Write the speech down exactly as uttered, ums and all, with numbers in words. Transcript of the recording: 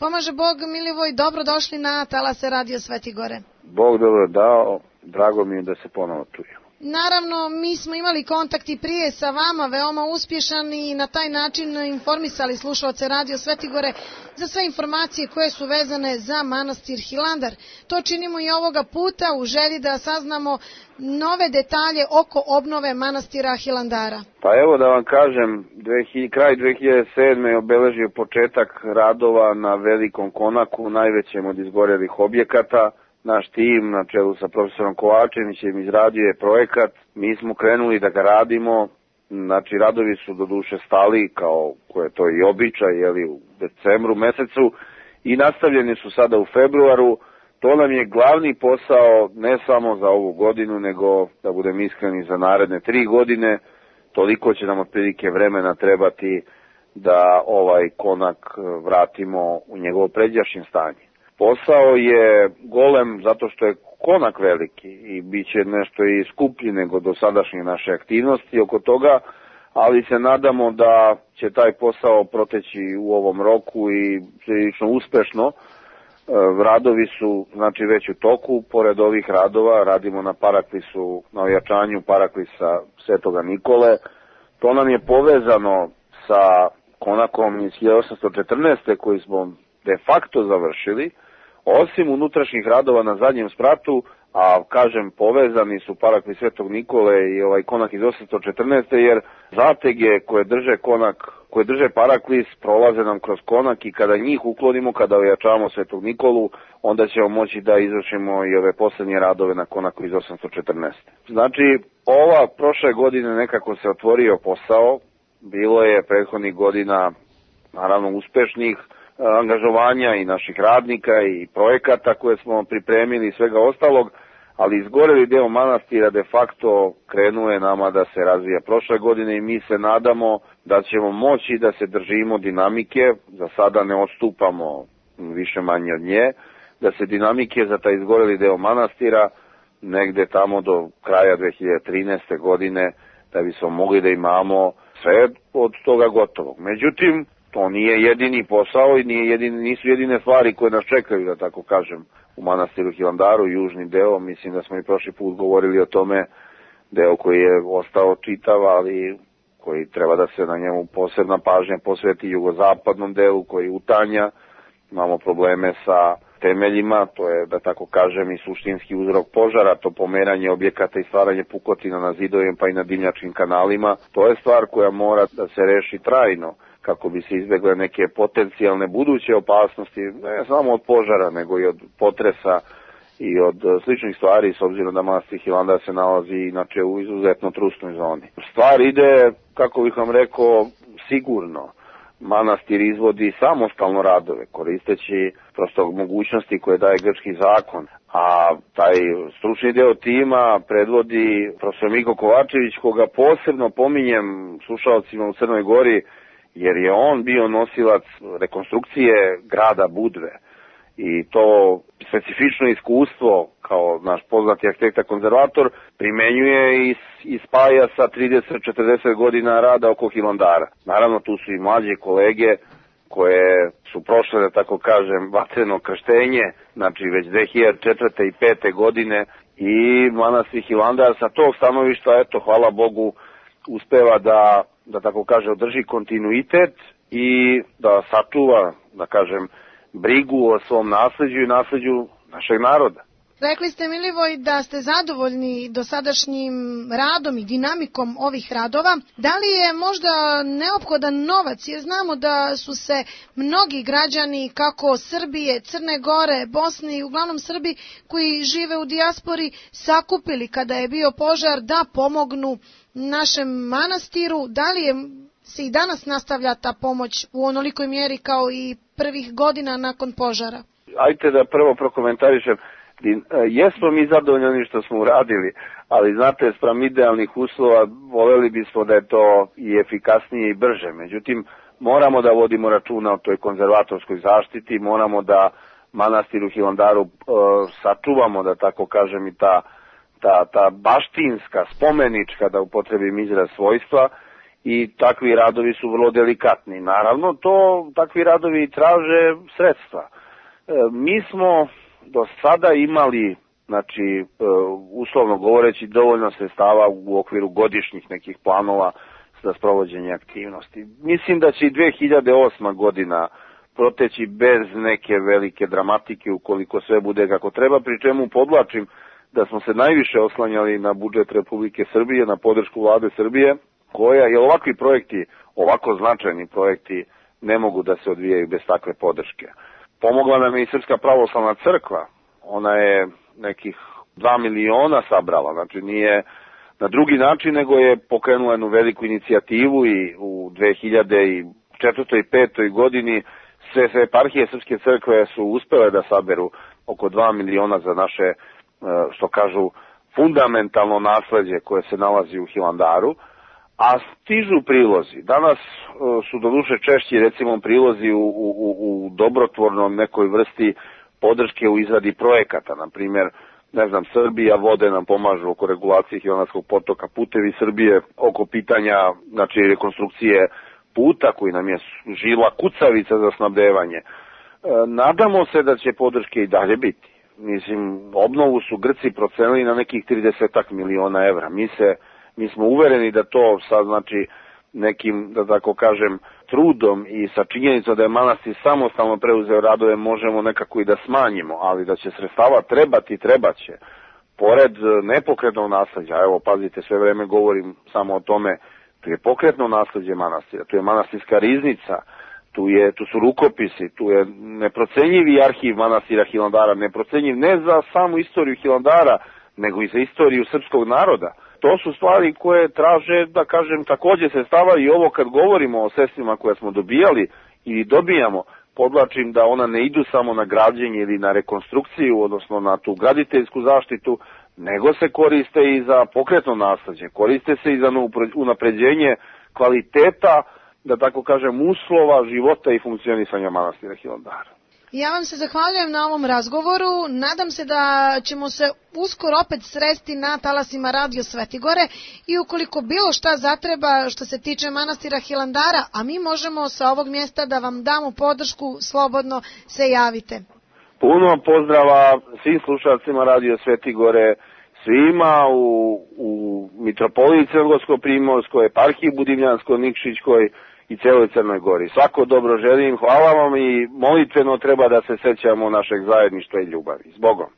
Pomaže Bog, Milivoj, dobrodošli na talase Radio Sveti Gore. Bog dobro dao, drago mi je da se ponovo čujemo. Naravno, mi smo imali kontakt i prije sa vama, veoma uspješan, i na taj način informisali slušalce Radio Sveti Gore za sve informacije koje su vezane za manastir Hilandar. To činimo i ovoga puta u želji da saznamo nove detalje oko obnove manastira Hilandara. Pa evo da vam kažem, kraj dve hiljade sedme je obeležio početak radova na Velikom konaku, najvećem od izgorelih objekata. Naš tim na čelu sa profesorom Kovačevićem izradio je projekat, mi smo krenuli da ga radimo, znači radovi su doduše stali kao koje to i običaj, jeli, u decembru mesecu i nastavljeni su sada u februaru. To nam je glavni posao ne samo za ovu godinu, nego da budem iskreni za naredne tri godine, toliko će nam otprilike vremena trebati da ovaj konak vratimo u njegovo pređašnje stanje. Posao je golem zato što je konak veliki i bit će nešto i skuplji nego do sadašnje naše aktivnosti oko toga, ali se nadamo da će taj posao proteći u ovom roku i prilično uspešno. Radovi su znači već u toku, pored ovih radova radimo na paraklisu, na ojačanju paraklisa Svetoga Nikole. To nam je povezano sa konakom iz hiljade osamsto četrnaeste koji smo de facto završili, osim unutrašnjih radova na zadnjem spratu, a kažem povezani su paraklis Svetog Nikole i ovaj konak iz osamsto četrnaeste jer zatege koje drže konak, koje drže paraklis prolaze nam kroz konak i kada njih uklonimo, kada ojačavamo Svetog Nikolu, onda ćemo moći da izvršimo i ove posljednje radove na konaku iz osamsto četrnaeste. Znači, ova prošle godine nekako se otvorio posao, bilo je prethodnih godina naravno uspešnih angažovanja i naših radnika i projekata koje smo pripremili i svega ostalog, ali izgoreli deo manastira de facto krenuo je nama da se razvija prošle godine i mi se nadamo da ćemo moći da se držimo dinamike, za sada ne odstupamo više manje od nje, da se dinamike za taj izgoreli deo manastira negde tamo do kraja dve hiljade trinaeste. godine da bismo mogli da imamo sve od toga gotovog. Međutim, to nije jedini posao i nije jedini, nisu jedine stvari koje nas čekaju, da tako kažem, u manastiru Hilandaru, južni deo. Mislim da smo i prošli put govorili o tome, deo koji je ostao čitav, ali koji treba da se na njemu posebna pažnja posveti jugozapadnom delu koji utanja. Imamo probleme sa temeljima, to je, da tako kažem, i suštinski uzrok požara, to pomeranje objekata i stvaranje pukotina na zidovima pa i na dimnjačkim kanalima. To je stvar koja mora da se reši trajno, kako bi se izbjegle neke potencijalne buduće opasnosti, ne samo od požara, nego i od potresa i od sličnih stvari, s obzirom da manastir Hilandar se nalazi inače u izuzetno trusnoj zoni. Stvar ide, kako bih vam rekao, sigurno. Manastir izvodi samostalno radove, koristeći prosto mogućnosti koje daje grčki zakon, a taj stručni deo tima predvodi profesor Miko Kovačević, koga posebno pominjem slušalcima u Crnoj Gori, jer je on bio nosilac rekonstrukcije grada Budve i to specifično iskustvo kao naš poznati arhitekta konzervator primenjuje i, i spaja sa trideset do četrdeset godina rada oko Hilandara. Naravno tu su i mlađe kolege koje su prošle, da tako kažem, vatreno krštenje, znači već dve hiljade četvrte. i pete. godine i manastir Hilandar sa tog stanovišta, eto, hvala Bogu, uspeva da, da tako kaže, održi kontinuitet i da sačuva, da kažem, brigu o svom nasleđu i nasleđu našeg naroda. Rekli ste, Milivoj, da ste zadovoljni dosadašnjim radom i dinamikom ovih radova. Da li je možda neophodan novac? Jer znamo da su se mnogi građani, kako Srbije, Crne Gore, Bosne i uglavnom Srbi koji žive u dijaspori, sakupili kada je bio požar da pomognu našem manastiru. Da li je, se i danas nastavlja ta pomoć u onolikoj mjeri kao i prvih godina nakon požara? Ajte da prvo prokomentarišem. Jesmo mi zadovoljni što smo uradili, ali znate, spram idealnih uslova voljeli bismo da je to i efikasnije i brže. Međutim, moramo da vodimo računa o toj konzervatorskoj zaštiti, moramo da manastir u Hilandaru e, sačuvamo, da tako kažem, i ta, ta, ta baštinska, spomenička, da upotrebim izraz, svojstva, i takvi radovi su vrlo delikatni. Naravno, to takvi radovi traže sredstva. E, mi smo do sada imali, znači, e, uslovno govoreći, dovoljno sredstava u okviru godišnjih nekih planova za sprovođenje aktivnosti. Mislim da će i dve hiljade osma godina proteći bez neke velike dramatike ukoliko sve bude kako treba, pri čemu podlačim da smo se najviše oslanjali na budžet Republike Srbije, na podršku vlade Srbije, koja je ovakvi projekti, ovako značajni projekti, ne mogu da se odvijaju bez takve podrške. Pomogla nam je i Srpska pravoslavna crkva, ona je nekih dva miliona sabrala, znači nije na drugi način, nego je pokrenula jednu veliku inicijativu i u dve hiljade četvrtoj i petoj godini sve, sve eparhije Srpske crkve su uspele da saberu oko dva miliona za naše, što kažu, fundamentalno nasleđe koje se nalazi u Hilandaru, a stižu prilozi. Danas su doduše češći, recimo, prilozi u, u, u dobrotvornom nekoj vrsti podrške u izradi projekata, na primjer, ne znam, Srbija vode nam pomažu oko regulacije Hilandarskog potoka, Putevi Srbije oko pitanja, znači, rekonstrukcije puta koji nam je žila kucavica za snabdevanje. E, nadamo se da će podrške i dalje biti. Mislim, obnovu su Grci procenili na nekih trideset miliona evra. Mi se, mi smo uvereni da to sad, znači, nekim, da tako kažem, trudom i sa činjenicom da je manastir samostalno preuzeo radove možemo nekako i da smanjimo, ali da će sredstava trebati, trebaće. Pored nepokretnog nasleđa, evo pazite, sve vreme govorim samo o tome, tu je pokretno nasleđe manastira, tu je manastirska riznica, tu, je, tu su rukopisi, tu je neprocenjivi arhiv manastira Hilandara, neprocenjiv ne za samu istoriju Hilandara, nego i za istoriju srpskog naroda. To su stvari koje traže, da kažem, takođe sredstava i ovo kad govorimo o sredstvima koje smo dobijali ili dobijamo, podlačim da ona ne idu samo na građenje ili na rekonstrukciju, odnosno na tu graditeljsku zaštitu, nego se koriste i za pokretno nasleđe, koriste se i za unapređenje kvaliteta, da tako kažem, uslova života i funkcionisanja manastira Hilandara. Ja vam se zahvaljujem na ovom razgovoru. Nadam se da ćemo se uskoro opet sresti na talasima Radio Svetigore i ukoliko bilo šta zatreba što se tiče manastira Hilandara, a mi možemo sa ovog mjesta da vam damo podršku, slobodno se javite. Puno pozdrava svim slušalcima Radio Svetigore, svima u, u Mitropoliji Crnogorsko-Primorskoj, eparhiji Budimljansko-Nikšićkoj i celoj Crnoj Gori. Svako dobro želim, hvala vam i molitveno treba da se sećamo našeg zajedništva i ljubavi. S Bogom!